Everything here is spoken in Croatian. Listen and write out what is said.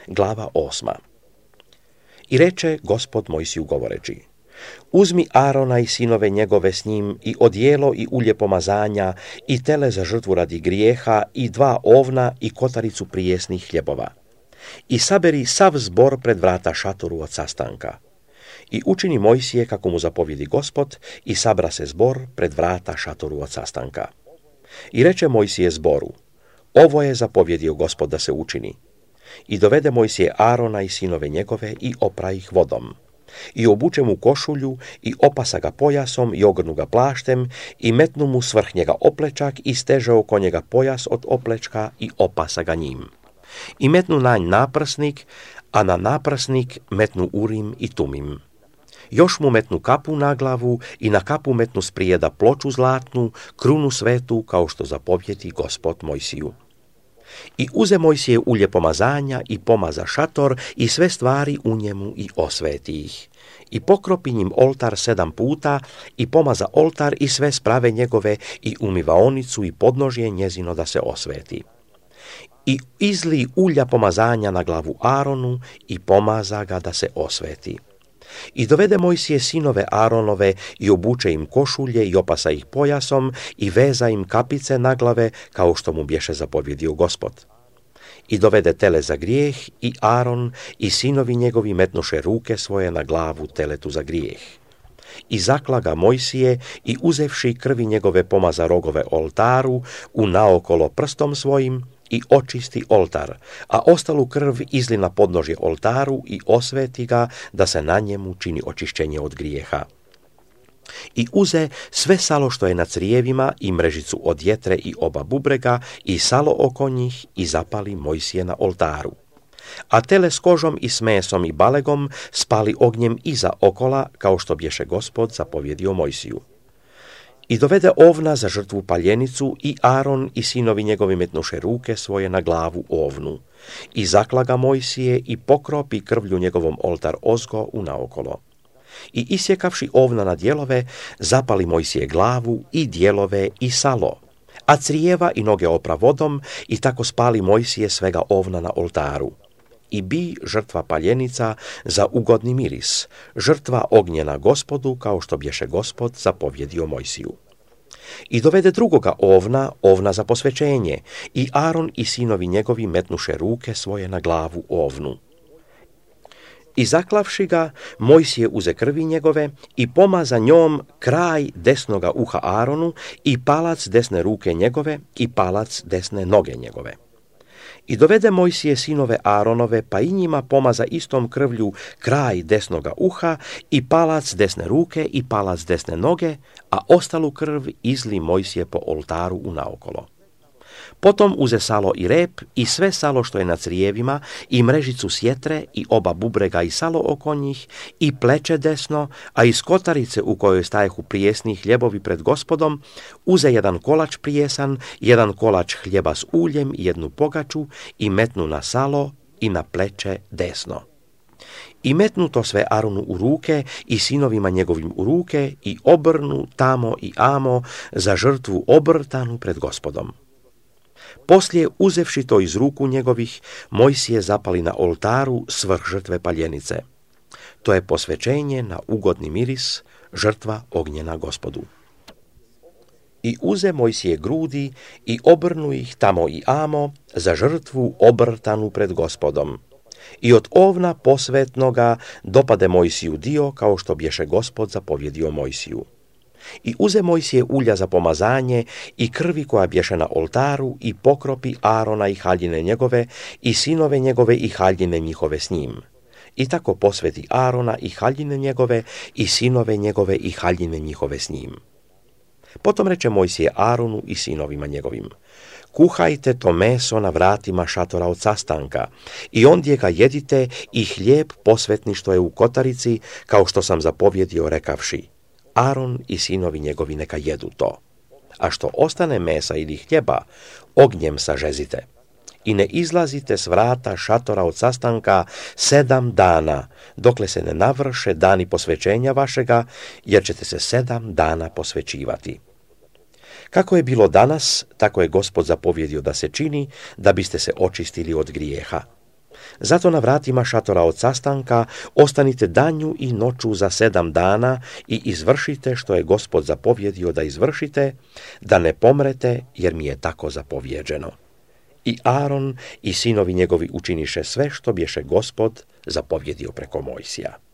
glava 8. I reče Gospod Mojsiju govoreći: Uzmi Arona i sinove njegove s njim i odijelo i ulje pomazanja i tele za žrtvu radi grijeha i 2 ovna i kotaricu prijesnih hljebova. I saberi sav zbor pred vrata šatoru od sastanka. I učini Mojsije kako mu zapovjedi Gospod i sabra se zbor pred vrata šatoru od sastanka. I reče Mojsije zboru: Ovo je zapovjedio Gospod da se učini. I dovede Mojsije Arona i sinove njegove i opra ih vodom. I obuče mu košulju i opasa ga pojasom i ogrnu ga plaštem i metnu mu svrh njega oplečak i steže oko njega pojas od oplečka i opasa ga njim. I metnu na nj naprsnik, a na naprsnik metnu Urim i Tumim. Još mu metnu kapu na glavu i na kapu metnu sprijeda ploču zlatnu, krunu svetu, kao što zapovjedi Gospod Mojsiju. I uze Mojsije ulje pomazanja i pomaza šator i sve stvari u njemu i osveti ih. I pokropi njim oltar 7 puta i pomaza oltar i sve sprave njegove i umivaonicu i podnožje njezino da se osveti. I izli ulja pomazanja na glavu Aronu i pomaza ga da se osveti. I dovede Mojsije sinove Aronove i obuče im košulje i opasa ih pojasom i veza im kapice na glave, kao što mu bješe zapovjedio Gospod. I dovede tele za grijeh i Aron i sinovi njegovi metnuše ruke svoje na glavu teletu za grijeh. I zakla ga Mojsije i uzevši krvi njegove pomaza rogove oltaru u naokolo prstom svojim i očisti oltar, a ostalu krv izli na podnožje oltaru i osveti ga da se na njemu čini očišćenje od grijeha. I uze sve salo što je na crijevima i mrežicu od jetre i oba bubrega i salo oko njih i zapali Mojsije na oltaru. A tele s kožom i s mesom i balegom spali ognjem iza okola, kao što bješe Gospod zapovjedio Mojsiju. I dovede ovna za žrtvu paljenicu i Aron i sinovi njegovi metnuše ruke svoje na glavu ovnu. I zakla ga Mojsije i pokropi krvlju njegovom oltar ozgo u naokolo. I isjekavši ovna na dijelove, zapali Mojsije glavu i dijelove i salo, a crijeva i noge opra vodom i tako spali Mojsije svega ovna na oltaru. I bi žrtva paljenica za ugodni miris, žrtva ognjena Gospodu, kao što bješe Gospod zapovjedio Mojsiju. I dovede drugoga ovna za posvećenje, i Aron i sinovi njegovi metnuše ruke svoje na glavu ovnu. I zaklavši ga, Mojsije uze krvi njegove i pomaza njom kraj desnoga uha Aronu i palac desne ruke njegove i palac desne noge njegove. I dovede Mojsije sinove Aronove, pa i njima pomaza istom krvlju kraj desnoga uha i palac desne ruke i palac desne noge, a ostalu krv izli Mojsije po oltaru unaokolo. Potom uze salo i rep i sve salo što je na crijevima i mrežicu sjetre i oba bubrega i salo oko njih i pleće desno, a iz kotarice u kojoj stajehu prijesni hljebovi pred Gospodom, uze jedan kolač prijesan, jedan kolač hljeba s uljem i jednu pogaču i metnu na salo i na pleće desno. I metnu to sve Aronu u ruke i sinovima njegovim u ruke i obrnu tamo i amo za žrtvu obrtanu pred Gospodom. Poslije, uzevši to iz ruku njegovih, Mojsije zapali na oltaru svrh žrtve paljenice. To je posvećenje na ugodni miris, žrtva ognjena Gospodu. I uze Mojsije grudi i obrnu ih tamo i amo za žrtvu obrtanu pred Gospodom. I od ovna posvetnoga dopade Mojsiju dio, kao što bješe Gospod zapovjedio Mojsiju. I uze Mojsije ulja za pomazanje i krvi koja bješe na oltaru i pokropi Arona i haljine njegove i sinove njegove i haljine njihove s njim. I tako posveti Arona i haljine njegove i sinove njegove i haljine njihove s njim. Potom reče Mojsije Aronu i sinovima njegovim: kuhajte to meso na vratima šatora od sastanka i ondje ga jedite i hljeb posvetni što je u kotarici, kao što sam zapovjedio rekavši: Aron i sinovi njegovi neka jedu to. A što ostane mesa ili hljeba, ognjem sažezite. I ne izlazite s vrata šatora od sastanka 7 dana, dokle se ne navrše dani posvećenja vašega, jer ćete se 7 dana posvećivati. Kako je bilo danas, tako je Gospod zapovjedio da se čini, da biste se očistili od grijeha. Zato na vratima šatora od sastanka ostanite danju i noću za 7 dana i izvršite što je Gospod zapovjedio da izvršite, da ne pomrete, jer mi je tako zapovjeđeno. I Aron i sinovi njegovi učiniše sve što bješe Gospod zapovjedio preko Mojsija.